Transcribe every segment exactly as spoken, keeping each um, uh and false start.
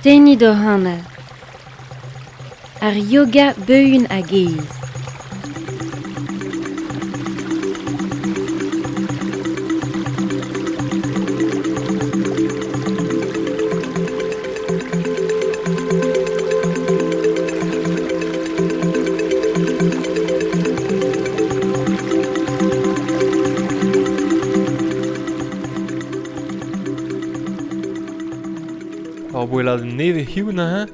Tennit hoc'h anal. Ar yoga beun hag aes. Ar boelad neve hiu na,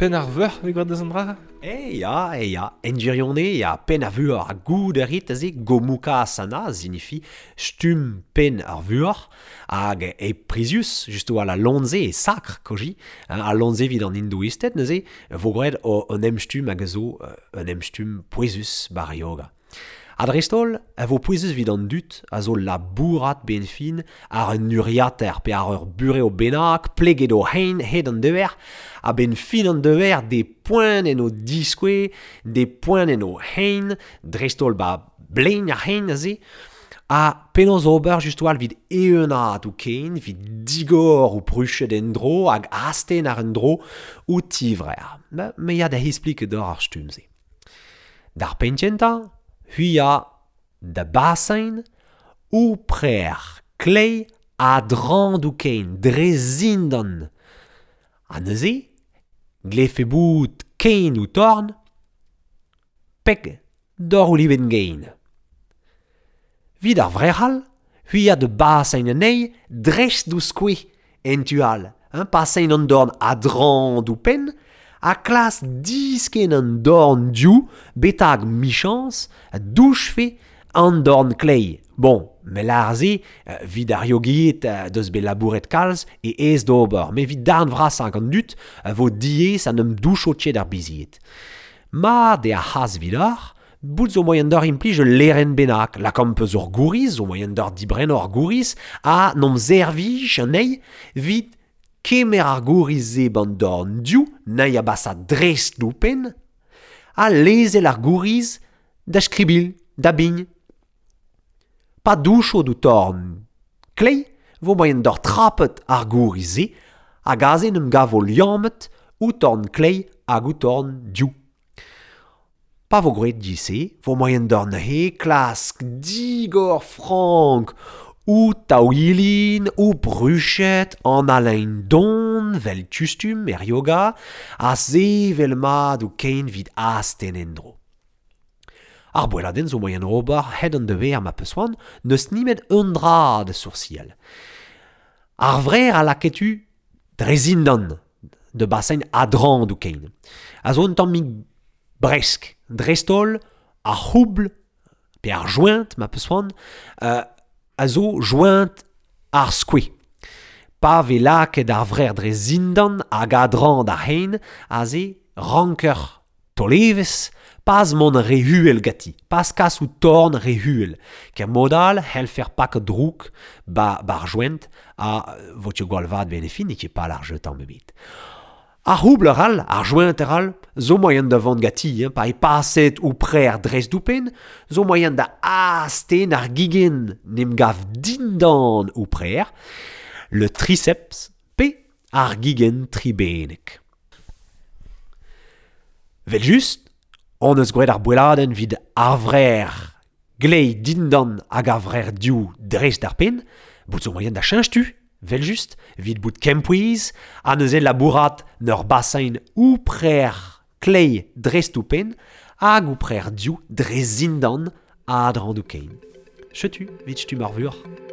pen ar veur vez gwad deus an dra? E ya, e ya, en gwirionez ya pen ar vuoc'h ha goud a rit aze Gomukha Asana signifi stumm pen ar vuoc'h hag e prizius just oa la lonze e sakr koji a lonze vid an hindouisted neuze vo graet o un emstumm hag a zo un emstumm pouezus bar yoga. Ha dreist-holl, a vo pouezus vid an dud a zo labourat ben fin ar un uriater pe ar ur bureo bennak pleget o hein hed an deuer a ben fin an deuer des points en o diskoue, des points en o hein, dreist-holl ba blein ar hein aze, a penaos ober just oal vid eeunaat ou ken, vid digor ou pruchet en dro hag asten ar en dro ou tivrer. Ma, me ya da explique d'or ar stumm-se. D'ar penn-kentañ, hui a da basein ou prer klei a drand ou kein dre zindan. Ha neuze, glefe bout kein ou torn, peg d'or ou liben gein. Vid ar vrec'hal, hui a de basein anezhi dreist d'ou skoue en tu all, hein, pasein an dorn a drand ou pen, a klas disken an dorn diou betag michans a douchfe an dorn klei. Bon, me lar ze, vid ar yogiet deus bet labouret kalz e aes d'ober, met vid darn vrasañ gant dud vo diaes an em doucho tchet ar bizied. Ma de ar c'has vid ar, bout zo moyen d'or implij ul leren bennak, lakaomp eus ur gouriz, zo moyen d'or dibren ur gouriz, a n'om servij anezhi vid kemer ar gouriz-se ban dorn diou, na'i a basa dreist d'ou pen, ha lezel ar gouriz da skribil, da bign. Pa doucho d'ou torn klei, vo moyen d'or trapet ar gouriz-se, hag aze n'em gavo liammet ou torn klei hag ou torn diou. Pa vo groet di-se, vo moyen d'or neuze klask digor frank ou taouilin, ou bruchet, an alain don, vel tustum er yoga, a sevel mat ou kein vid asten endro. Ar boeladenn zo moyen ober hed an dever ma peus-oan, n'eus nimet un dra de sourciel. Ar vrer a laketu dre zindan de basein adrand ou kein. A zo un tammig bresk, dreist-holl, ar c'houbl, pe ar joint ma peus-oan, euh, a zo joint ar skoue. Pa ve laket ar vrer dre zindan hag adrand ar hein, a ze ranker tolevez, pas mont re huel gati, pas kas ou torn re huel. Ker modal helfer pak drouk ba bar joint a vo tio gwall vat ben e fin e ket pal ar jeu tamm ebet. Ar c'houbl ar ar joint ar zo moyen da vont gati, hein, pa e paset ou prer dreist d'ou pen, zo moyen da asten ar gigen n'em gav dindan ou prer, le triceps pe ar gigen tribenek. Vel just, on eus gwraet ar boeladenn vid ar vrer glei dindan hag ar vrer diou dreist d'ar pen, bout zo moyen da cheñch tu, vel just, vid bout kempouez, ha neuze labourat n'ur basein ou prer klei dreist ou pen, hag ou prer diou dre zindan a drand ou kein. Chetu, vid stumm ar vuoc'h.